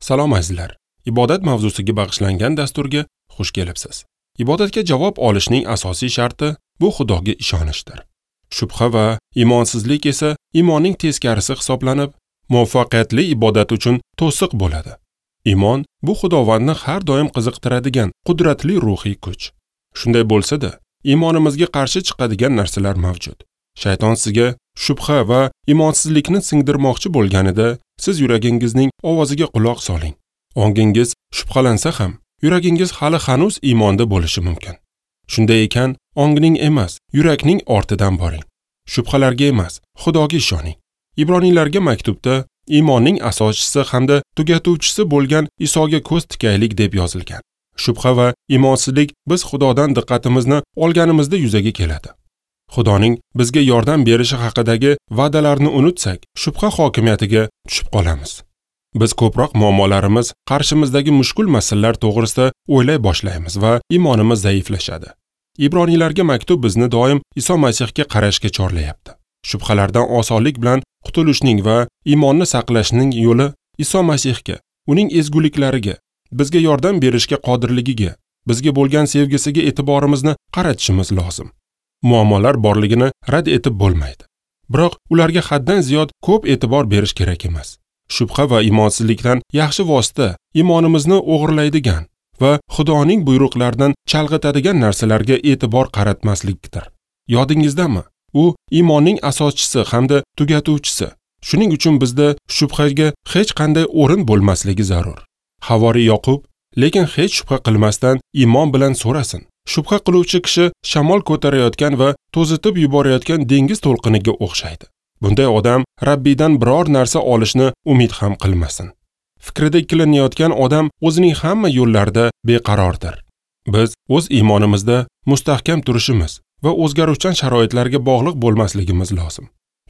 Salom azizlar. Ibodat mavzusiga bag'ishlangan dasturga xush kelibsiz. Ibodatga javob olishning asosiy sharti bu Xudoga ishonishdir. Shubha va imonsizlik esa iymonning teskarisi hisoblanib, muvaffaqiyatli ibodat uchun to'siq bo'ladi. Iymon bu Xudovandni har doim qiziqtiradigan qudratli ruhiy kuch. Shunday bo'lsa-da, iymonimizga qarshi chiqadigan narsalar mavjud. Shayton sizga shubha va imonsizlikni singdirmoqchi bo'lganida, siz yuragingizning ovoziga quloq soling. Ongingiz shubhalansa ham, yuragingiz hali hanuz iymonda bo'lishi mumkin. Shunday ekan, ongning emas, yurakning ortidan boring. Shubhalarga emas, Xudoga ishoning. Ibroniylarga maktubda iymonning asoschisi hamda tugatuvchisi bo'lgan Isoga ko'z tikaylik deb yozilgan. Shubha va imonsizlik biz Xudodan diqqatimizni olganimizda yuzaga keladi. Xudoning bizga yordam berishi haqidagi va'dalarni unutsak, shubha hokimiyatiga tushib qolamiz. Biz ko'proq muammolarimiz, qarshimizdagi mushkul masalalar to'g'risida o'ylay boshlaymiz va iymonimiz zaiflashadi. Ibroniylarga maktub bizni doim Iso Masihga qarashga chorlayapti. Shubhalardan osonlik bilan qutulishning va iymonni saqlashning yo'li Iso Masihga, uning ezguliklariga, bizga yordam berishga qodirligiga, bizga bo'lgan sevgisiga e'tiborimizni qaratishimiz lozim. Muammolar borligini rad etib bo'lmaydi. Biroq ularga haddan ziyod ko'p e'tibor berish kerak emas. Shubha va iymonsizlikdan yaxshi vosita iymonimizni o'g'irlaydigan va Xudoning buyruqlaridan chalg'itadigan narsalarga e'tibor qaratmaslikdir. Yodingizdami? U iymonning asoschisi hamda tugatuvchisi. Shuning uchun bizda shubhaga hech qanday o'rin bo'lmasligi zarur. Havoriy Yoqub, lekin hech shubha qilmasdan iymon bilan so'rasin. Shubha qiluvchi kishi shamol ko'tarayotgan va to'zitib yuborayotgan dengiz to'lqiniga o'xshaydi. Bunday odam Rabbiydan biror narsa olishni umid ham qilmasin. Fikrida ikkilanayotgan odam o'zining hamma yo'llarida beqarordir. Biz o'z iymonimizda mustahkam turishimiz va o'zgaruvchan sharoitlarga bog'liq bo'lmasligimiz lozim.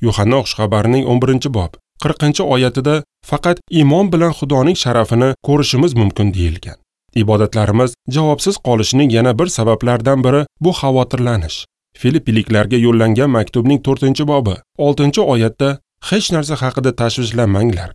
Yuhanna xushxabarining 11-bob 40-oyatida faqat iymon bilan Xudoning sharafini ko'rishimiz mumkin deyilgan. Ibodatlarimiz javobsiz qolishining yana bir sabablaridan biri bu xavotirlanish. Filippiliklarga yo'llangan maktubning 4-bobi 6-oyatda hech narsa haqida tashvishlanmanglar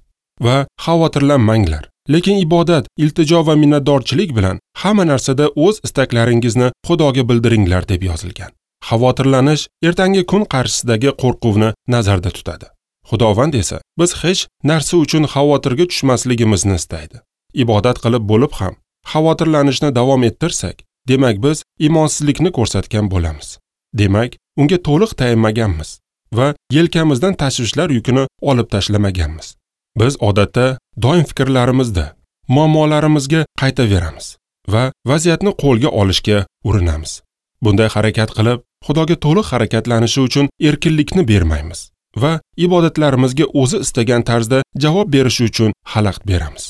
va xavotirlanmanglar, lekin ibodat, iltijo va minnatdorchilik bilan hamma narsada o'z istaklaringizni Xudoga bildiringlar deb yozilgan. Xavotirlanish ertangi kun qarshisidagi qo'rquvni nazarda tutadi. Xudovand esa biz hech narsa uchun xavotirga tushmasligimizni istaydi. Ibodat qilib bo'lib ham xavotirlanishni davom ettirsak, demak biz iymonsizlikni ko'rsatgan bo'lamiz. Demak, unga to'liq tayanmaganmiz va yelkamizdan tashvishlar yukini olib tashlamaganmiz. Biz odatda doim fikrlarimizda muammolarimizga qaytaveramiz va vaziyatni qo'lga olishga urinamiz. Bunday harakat qilib, Xudoga to'liq harakatlanishi uchun erkinlikni bermaymiz va ibodatlarimizga o'zi istagan tarzda javob berishi uchun xalaqit beramiz.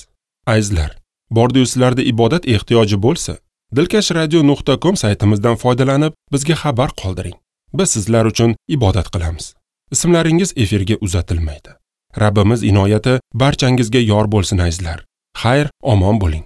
Azizlar, bordi-yu sizlarda ibodat ehtiyoji bo'lsa, dilkashradio.com saytimizdan foydalanib bizga xabar qoldiring. Biz sizlar uchun ibodat qilamiz. Ismlaringiz efirga uzatilmaydi. Rabbimiz inoyati barchangizga yor bo'lsin azizlar. Xayr, omon bo'ling.